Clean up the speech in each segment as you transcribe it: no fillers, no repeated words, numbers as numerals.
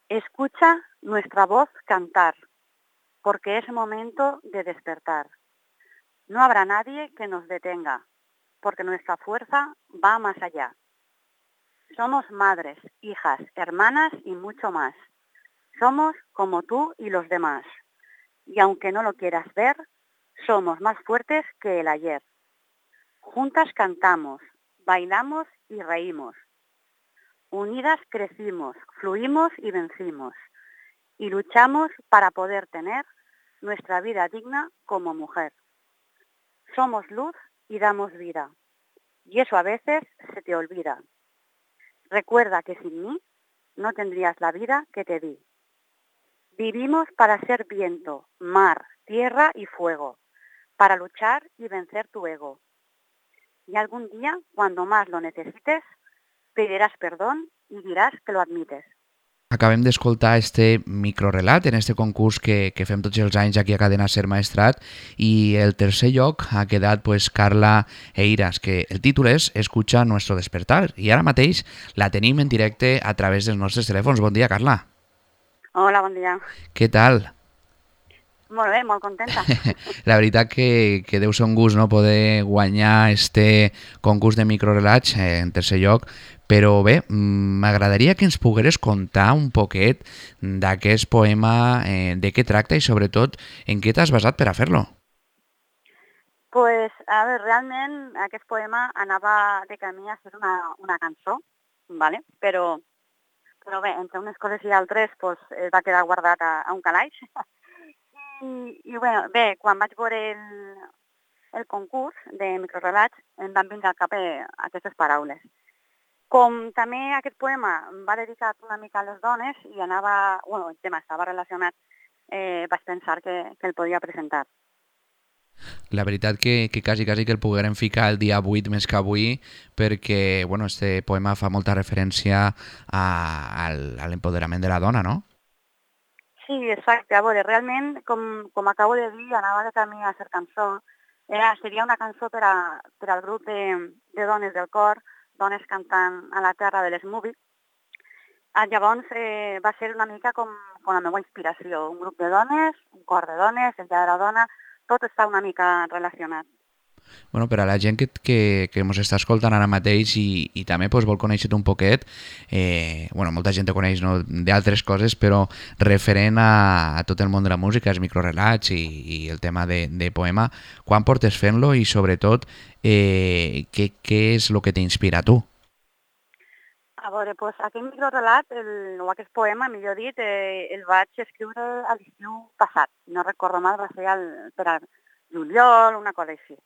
Escucha nuestra voz cantar, porque es momento de despertar. No habrá nadie que nos detenga, porque nuestra fuerza va más allá. Somos madres, hijas, hermanas y mucho más. Somos como tú y los demás. Y aunque no lo quieras ver, somos más fuertes que el ayer. Juntas cantamos, bailamos y reímos. Unidas crecimos, fluimos y vencimos. Y luchamos para poder tener nuestra vida digna como mujer. Somos luz y damos vida. Y eso a veces se te olvida. Recuerda que sin mí no tendrías la vida que te di. Vivimos para ser viento, mar, tierra y fuego, para luchar y vencer tu ego. Y algún día, cuando más lo necesites, pedirás perdón y dirás que lo admites. Acabem d'escoltar este microrelat en este concurs que fem tots els anys aquí a Cadena Ser Maestrat i el tercer lloc ha quedat pues, Carla Eiras, que el títol és Escucha nuestro despertar i ara mateix la tenim en directe a través dels nostres telèfons. Bon dia, Carla. Hola, bon dia. Què tal? Molt bé, molt contenta. La veritat que deu ser un gust no poder guanyar este concurs de microrelats en tercer lloc, però bé, m'agradaria que ens pogueres contar un poquet d'aquest poema, de què tracta i sobretot en què t'has basat per a fer-lo. Pues, a veure, realment aquest poema anava de camí a ser una cançó, ¿vale? Però bé, entre unes coses i altres pues, va quedar guardat a un calaix. I bé, quan vaig veure el concurs de microrelats em van vindre al cap aquestes paraules. Com també aquest poema va dedicat una mica a les dones i anava, bueno, el tema estava relacionat, vaig pensar que el podia presentar. La veritat que quasi que el poguérem ficar el dia 8 més que avui perquè bueno, este poema fa molta referència a l'empoderament de la dona, no? Sí, exacte. A veure, realment, com acabo de dir, anava de camí a ser cançó. Seria una cançó per al grup de dones del cor, dones cantant a la terra de les Movies. Llavors va ser una mica com la meva inspiració. Un grup de dones, un cor de dones, el dia de la dona, tot està una mica relacionat. Bueno, per a la gent que ens està escoltant ara mateix i també pues, vol conèixer un poquet, bueno, molta gent te coneix no, d'altres coses, però referent a tot el món de la música, els microrelats i el tema de poema, quan portes fent-lo i sobretot què és el que t'inspira a tu? A veure, doncs aquest microrelat, o aquest poema, millor dit, el vaig escriure a l'estiu passat. Si no recordo mal, va ser per al juliol, una cosa així.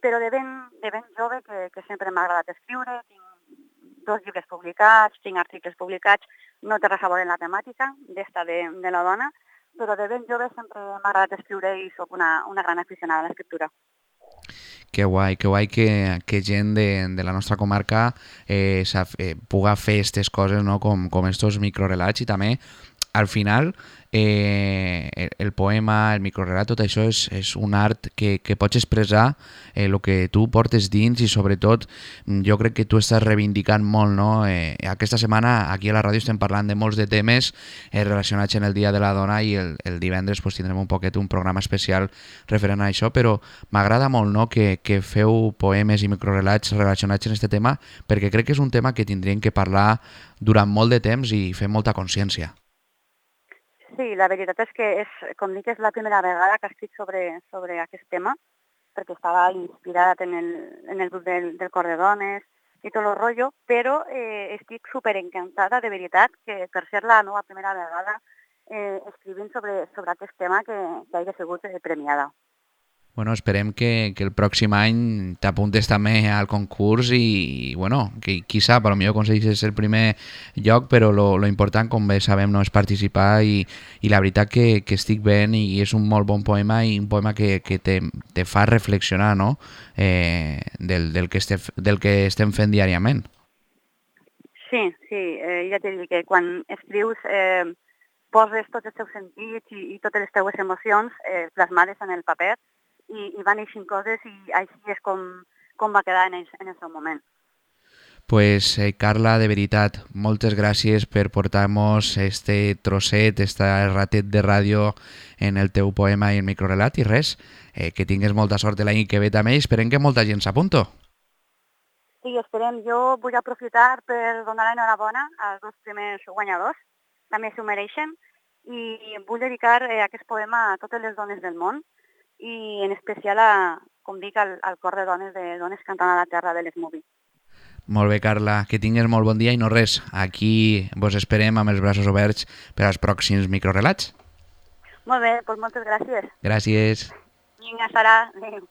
Però de ben jove, que sempre m'ha agradat escriure, tinc 2 llibres publicats, 5 articles publicats, no té res a veure en la temàtica d'esta de la dona, però de ben jove sempre m'ha agradat escriure i sóc una gran aficionada a l'escriptura. Que guai que gent de la nostra comarca puga fer aquestes coses no? com estos microrelats i també al final el poema, el microrelat, tot això és un art que pots expressar el que tu portes dins i sobretot jo crec que tu estàs reivindicant molt. No? Aquesta setmana aquí a la ràdio estem parlant de molts de temes relacionats en el Dia de la Dona i el divendres pues, tindrem un poquet un programa especial referent a això, però m'agrada molt no? que feu poemes i microrelats relacionats en aquest tema perquè crec que és un tema que tindríem que parlar durant molt de temps i fer molta consciència. Sí, la veritat és que com dic, és la primera vegada que escric sobre aquest tema, perquè estava inspirat en el grup del cor de dones i tot el rotllo, però estic superencantada, de veritat, que per ser la meva primera vegada escrivint sobre aquest tema que hagi sigut premiada. Bueno, esperem que el pròxim any t'apuntes també al concurs i bueno, que qui sap, potser aconsegueixes el primer lloc, però lo important, com bé sabem, no és participar i la veritat que estic veient i és un molt bon poema i un poema que te fa reflexionar no? Del que estem fent diàriament. Sí, ja t'he dit que quan escrius poses tots els teus sentits i totes les teues emocions plasmades en el paper i van eixint coses i així és com va quedar en el seu moment. Pues Carla, de veritat, moltes gràcies per portar-nos este trosset, este ratet de ràdio en el teu poema i el microrelat i res, que tingues molta sort l'any que ve també i esperem que molta gent s'apunto. Sí, esperem. Jo vull aprofitar per donar l'enhorabona als dos primers guanyadors, també s'ho mereixen, i vull dedicar aquest poema a totes les dones del món i en especial, com dic, al cor de dones cantant a la terra de l'Smovie. Molt bé, Carla, que tingues molt bon dia i no res, aquí vos esperem amb els braços oberts per als pròxims microrelats. Molt bé, doncs moltes gràcies. Gràcies. Vinga, Sara. Adéu.